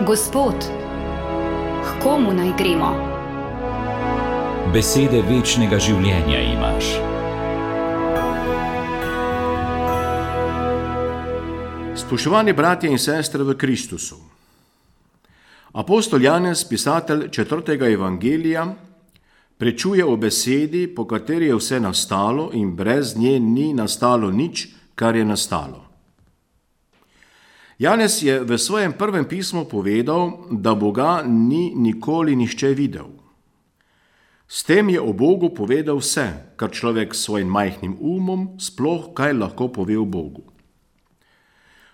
Gospod, k komu naj gremo? Besede večnega življenja imaš. Spoštovani bratje in sestre v Kristusu. Apostol Janez, pisatelj 4. evangelija, prečuje o besedi, po kateri je vse nastalo in brez nje ni nastalo nič, kar je nastalo. Janez je v svojem prvem pismu povedal, da Boga ni nikoli nihče videl. S tem je o Bogu povedal vse, kar človek s svojim majhnim umom sploh kaj lahko pove o Bogu.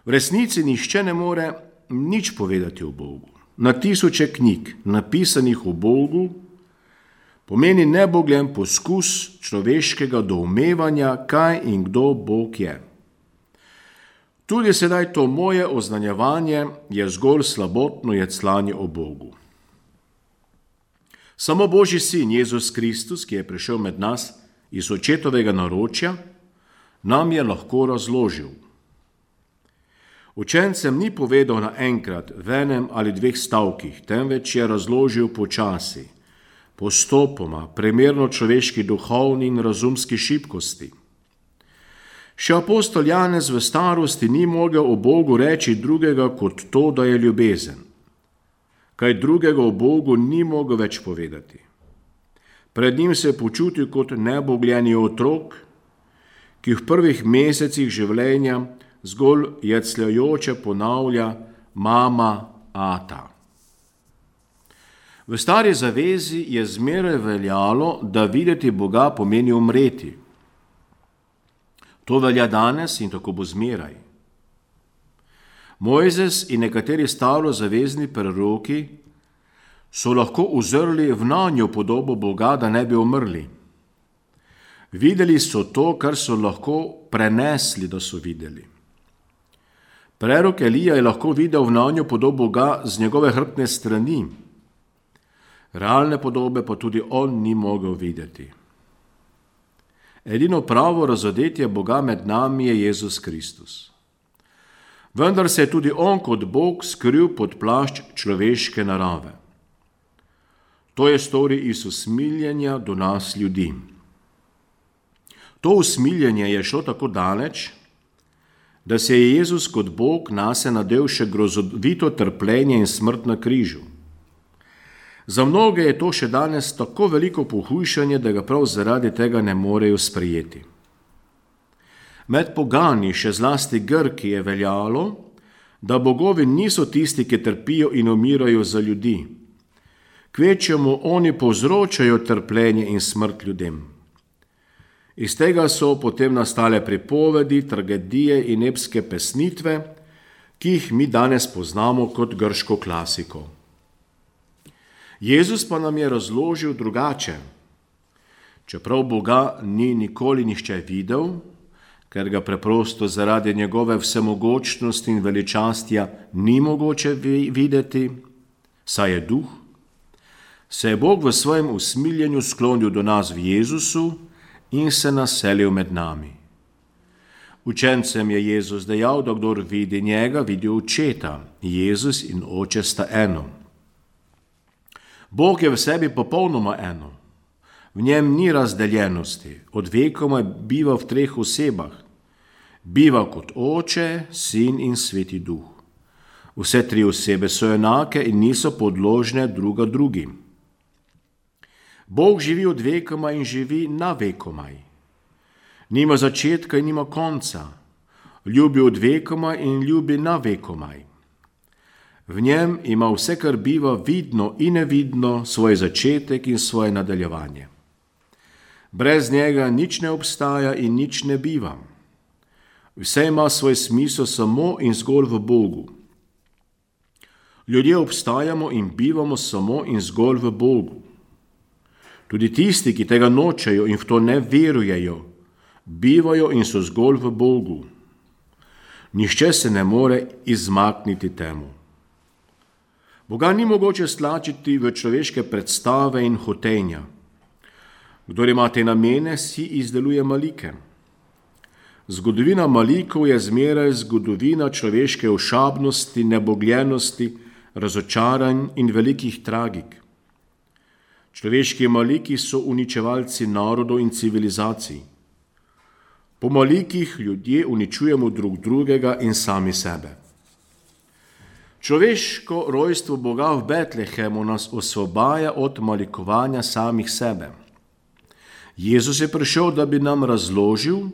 V resnici nihče ne more nič povedati o Bogu. Na tisoče knjig, napisanih o Bogu, pomeni nebogljen poskus človeškega doumevanja, kaj in kdo Bog je. Tudi sedaj to moje oznanjevanje je zgolj slabotno jecljanje o Bogu. Samo Božji sin Jezus Kristus, ki je prišel med nas iz očetovega naročja, nam je lahko razložil. Učencem ni povedal naenkrat v enem ali dveh stavkih, temveč je razložil počasi, postopoma, primerno človeški duhovni in razumski šibkosti. Še apostol Janez v starosti ni mogel o Bogu reči drugega kot to, da je ljubezen. Kaj drugega o Bogu ni mogel več povedati. Pred njim se je počutil kot nebogljeni otrok, ki v prvih mesecih življenja zgolj jecljajoče ponavlja mama, ata. V stari zavezi je zmeraj veljalo, da videti Boga pomeni umreti. To velja danes in tako bo zmeraj. Mojzes in nekateri starozavezni proroki so lahko uzrli v nanjo podobo Boga, da ne bi umrli. Videli so to, kar so lahko prenesli, da so videli. Prerok Elija je lahko videl v nanjo podobo Boga z njegove hrbtne strani. Realne podobe pa tudi on ni mogel videti. Edino pravo razodetje Boga med nami je Jezus Kristus. Vendar se je tudi on kot Bog skril pod plašč človeške narave. To je storil iz usmiljenja do nas ljudi. To usmiljenje je šlo tako daleč, da se je Jezus kot Bog nase nadel še grozovito trpljenje in smrt na križu. Za mnoge je to še danes tako veliko pohujšanje, da ga prav zaradi tega ne morejo sprejeti. Med pogani, še zlasti Grki, je veljalo, da bogovi niso tisti, ki trpijo in umirajo za ljudi. Kvečjemu oni povzročajo trpljenje in smrt ljudem. Iz tega so potem nastale pripovedi, tragedije in epske pesnitve, ki jih mi danes poznamo kot grško klasiko. Jezus pa nam je razložil drugače. Čeprav Boga ni nikoli nihče videl, ker ga preprosto zaradi njegove vsemogočnosti in veličastja ni mogoče videti, saj je duh, se je Bog v svojem usmiljenju sklonil do nas v Jezusu in se naselil med nami. Učencem je Jezus dejal, da kdor vidi njega, vidi očeta. Jezus in oče sta eno. Bog je v sebi popolnoma eno. V njem ni razdeljenosti, od vekoma biva v treh osebah. Biva kot oče, sin in sveti duh. Vse tri osebe so enake in niso podložne druga drugim. Bog živi od vekoma in živi na vekomaj. Nima začetka in nima konca. Ljubi od vekoma in ljubi na vekomaj. V njem ima vse, kar biva vidno in nevidno, svoj začetek in svoje nadaljevanje. Brez njega nič ne obstaja in nič ne biva. Vse ima svoj smisel samo in zgolj v Bogu. Ljudje obstajamo in bivamo samo in zgolj v Bogu. Tudi tisti, ki tega nočejo in v to ne verujejo, bivajo in so zgolj v Bogu. Nihče se ne more izmakniti temu. Boga ni mogoče stlačiti v človeške predstave in hotenja. Kdor ima te namene, si izdeluje malike. Zgodovina malikov je zmeraj zgodovina človeške ošabnosti, nebogljenosti, razočaranj in velikih tragik. Človeški maliki so uničevalci narodov in civilizacij. Po malikih ljudje uničujemo drug drugega in sami sebe. Človeško rojstvo Boga v Betlehemu nas osvobaja od malikovanja samih sebe. Jezus je prišel, da bi nam razložil,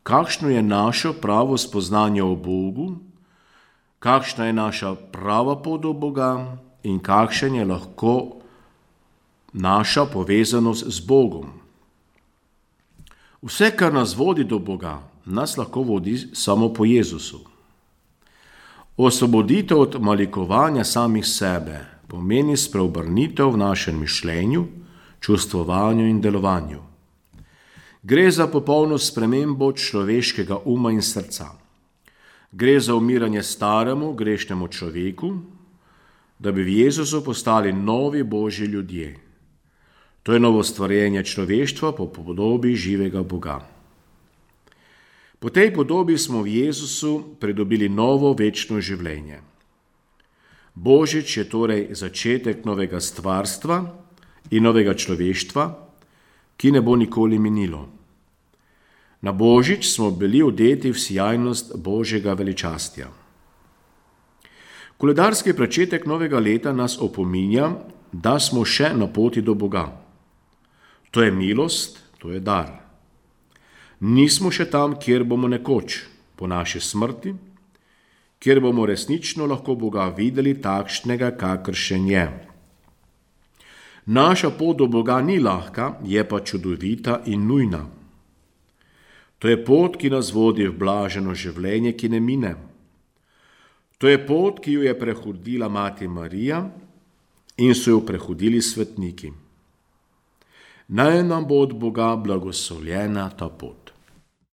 kakšno je naše pravo spoznanje o Bogu, kakšna je naša prava pot do Boga in kakšen je lahko naša povezanost z Bogom. Vse, kar nas vodi do Boga, nas lahko vodi samo po Jezusu. Osvoboditev od malikovanja samih sebe pomeni spreobrnitev v našem mišljenju, čustvovanju in delovanju. Gre za popolno spremembo človeškega uma in srca. Gre za umiranje staremu, grešnemu človeku, da bi v Jezusu postali novi Božji ljudje. To je novo stvarjenje človeštva po podobi živega Boga. Po tej podobi smo v Jezusu pridobili novo večno življenje. Božič je torej začetek novega stvarstva in novega človeštva, ki ne bo nikoli minilo. Na Božič smo bili odeti v sijajnost Božjega veličastja. Koledarski začetek novega leta nas opominja, da smo še na poti do Boga. To je milost, to je dar. Nismo še tam, kjer bomo nekoč, po naši smrti, kjer bomo resnično lahko Boga videli takšnega, kakršen je. Naša pot do Boga ni lahka, je pa čudovita in nujna. To je pot, ki nas vodi v blaženo življenje, ki ne mine. To je pot, ki jo je prehodila Mati Marija in so jo prehodili svetniki. Naj nam bo od Boga blagoslovljena ta pot.